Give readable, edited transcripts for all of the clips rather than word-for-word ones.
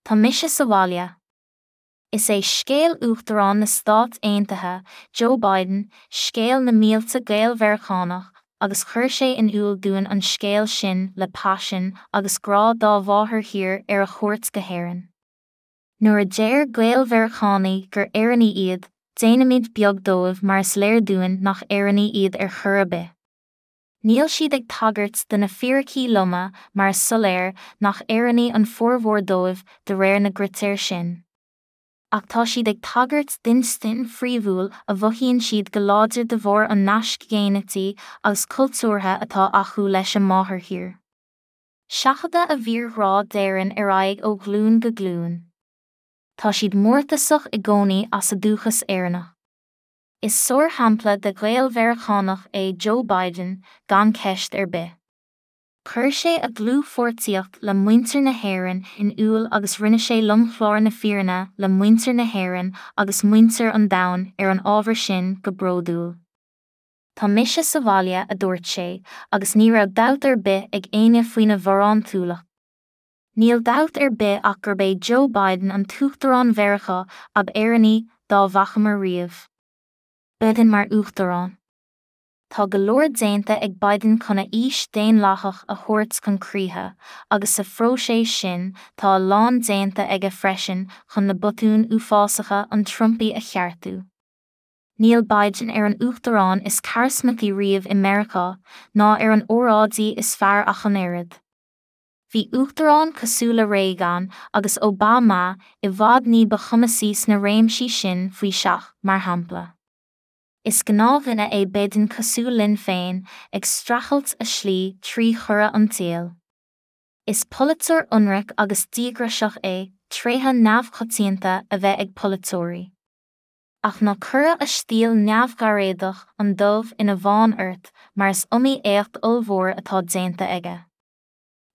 Tá mise sa bhaile. Is é scéal Uachtarán na Stát Aontaithe, Joe Biden, scéal na mílte Gael-Mheiriceánach agus chuir sé in iúl dúinn an scéal sin le paisean agus grá dá mháthairthír ar a chuairt go hÉirinn. Nuair a deir Gael-Mheiriceánaigh gur Éireannaigh iad, déanaimid beag dóibh mar is léir dúinn nach Éireannaigh iad ar chor ar bith. Níl siad ag tagairt do na fíricí loma mar is soiléir nach Éireannaigh an formhór dóibh de réir na gcritéar sin. Ach tá siad ag tagairt d'instinn phríomhúil a mhothaíonn siad go láidir de bharr an naisc ghéinitigh agus cultúrtha atá acu leis a máthairthír. Seachadadh a bhfíorghrá d'Éirinn ar aghaidh ó ghlúin go glúin. Tá siad mórtasach i gcónaí as a dúchas Éireannach. Is sárshampla de Ghael-Mheiriceánach é Joe Biden, gan ceist ar bith. Chuir sé a dhlúthpháirtíocht le muintir na hÉireann in iúl agus rinne sé lomchlár na fírinne le muintir na hÉireann agus muintir an domhain ar an ábhar sin go bródúil. Tá mise sa bhaile, a dúirt sé, agus ní raibh dabht ar bith ag éinne faoina bharántúlacht. Níl dabht ar bith ach gurb é Joe Biden an tUachtarán Mheiriceá ab Éireannaí dá bhfacamar riamh. Biden mar Uachtarán. Tá go leor déanta ag Biden chun a fhís daonlathach a thabhairt chun críche, agus sa phróiseas sin tá a lán déanta aige freisin chun na botúin uafásacha an Trumpaigh a cheartú. Níl Biden ar an Uachtarán is carasmataí riamh i Meiriceá, ná ar an óráidí is fearr ach an oiread. Bhí uachtaráin cosúil le Reagan agus Obama i bhfad ní ba chumasaí sna réimsí sin faoi seach, mar shampla. Is gnáthdhuine é Biden cosúil linn féin, ag streachailt a shlí trí chora an tsaoil. Is polaiteoir ionraic agus díograiseach é, tréithe neamhchoitianta a bheith ag polaiteoirí. Ach ná cuireadh a stíl neamhghairéadach, an dubh ina bhán ort, mar is iomaí éacht ollmhór atá déanta aige.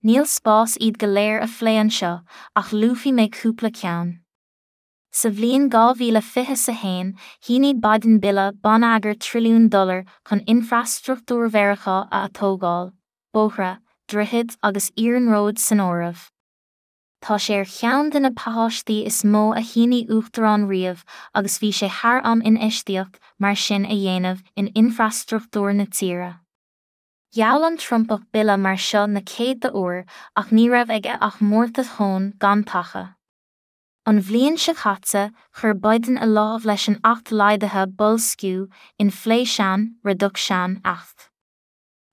Níl spás iad go léir a phlé anseo ach luafaidh mé cúpla ceann. Sa bhliain 2021, shínigh Biden bille bonneagair trilliún dollar chun infreastruchtúr Mheiriceá a atógáil, bóithre, droichid agus iarnróid san áireamh. Tá sé ar cheann de na pacáistí is mó a shínigh uachtarán riamh agus bhí sé thar am infheistíocht mar sin a dhéanamh in infreastruchtúr na tíre. Gheall an Trumpach bille mar seo na céadta uair ach ní raibh aige ach mórtas thonn gan taca. An bhliain seo caite, chuir Biden a lámh leis an Acht Laghdaithe Boilsciú, Inflation Reduction Act.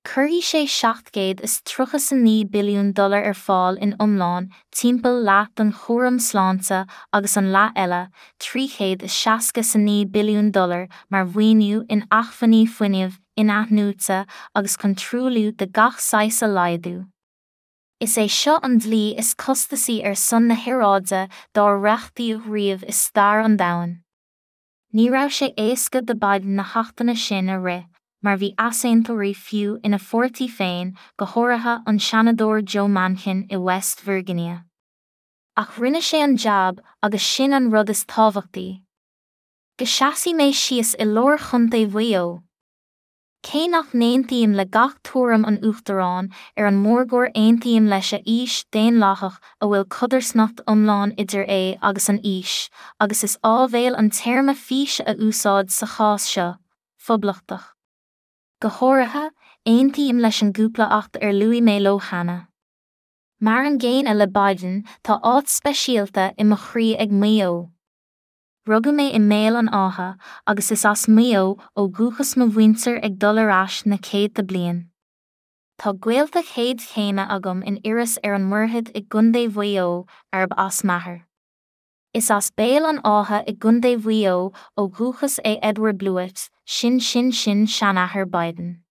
Cuirfidh sé 739 billiún dollar ar fáil in iomlán, timpeall leath don chúram sláinte agus an leath eile, 369 billiún dollar, mar mhaoiniú in acmhainní fuinnimh in-athnuaite agus chun truailliú de gach saghas a laghdú. Is é seo an dlí is costasaí ar son na haeráide dár reachtaíodh riamh i stair an domhain. Ní raibh sé éasca do Biden na hachtanna sin a rith, mar bhí easaontóirí fiú ina pháirtí féin, go háirithe an Seanadóir Joe Manchin i West Virginia. Ach rinne sé an jab agus sin an rud is tábhachtaí. Go seasfaidh mé síos i lár Chontae Mhaigh Eo. Cé nach n-aontaím le gach tuairim an Uachtaráin, ar an mórgóir aontaím leis a fhís daonlathach a bhfuil codarsnacht iomlán idir é agus an fhís, agus is áibhéil an téarma fís a úsáid sa chás seo, phoblachtach. Go háirithe, aontaím leis an gcúpla acht ar luaigh mé leo cheana. Mar an gcéanna le Biden, tá áit speisialta i mo chroí ag Maigh Eo. Rugadh mé i mBéal an Átha agus is as Maigh Eo ó dhúchas mo mhuintir ag dul ar ais na céadta bliain. Tá gaolta chéad chéime agam in Iorras ar an Mhuirthead i gContae Mhaigh Eo arb as m'athair. Is as Béal an Átha i gContae Mhaigh Eo ó dhúchas é Edward Bluett, sin-sin-sin-seanathair Biden.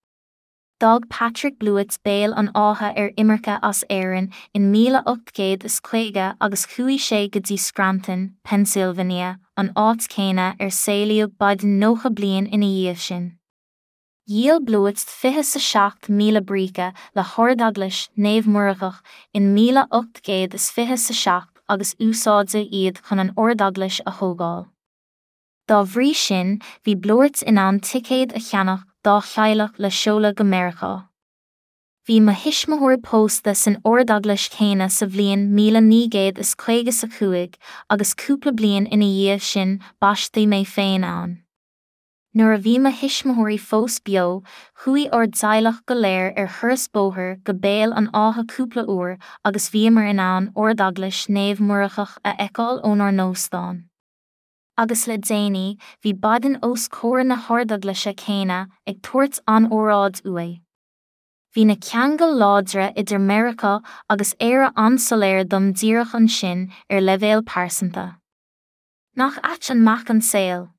D'fhág Patrick Bluett Béal an Átha ar imirce as Éirinn in 1850 agus chuaigh sé go dtí Scranton, Pennsylvania, an áit chéanna ar saolaíodh Biden 90 bliain ina dhiaidh sin. Dhíol Bluett 27,000 bríce le hArdeaglais Naomh Muireadhach in 1827 agus úsáideadh iad chun an Ardeaglais a thógáil. Dá bhrí sin, bhí Bluett in ann ticéad a cheannach dá theaghlach le seoladh go Meiriceá. Bhí mo thuismitheoirí pósta san ardeaglais chéanna sa bhliain 1955 agus cúpla bliain ina dhiaidh sin baisteadh mé féin ann. Nuair a bhí mo thuismitheoirí fós beo, chuaigh ár dteaghlach go léir ar thuras bóthair go Béal an Átha cúpla uair agus bhíomar in ann Ardeaglais Naomh Muireadhach a fheiceáil ónár n-óstán. Agus le déanaí, bhí Biden os comhair na hardeaglaise céanna ag tabhairt an-óráid uaidh. Bhí na ceangail láidre idir Meiriceá agus Éire an-soiléir dom díreach ansin ar leibhéal pearsanta. Nach ait an mac an saol?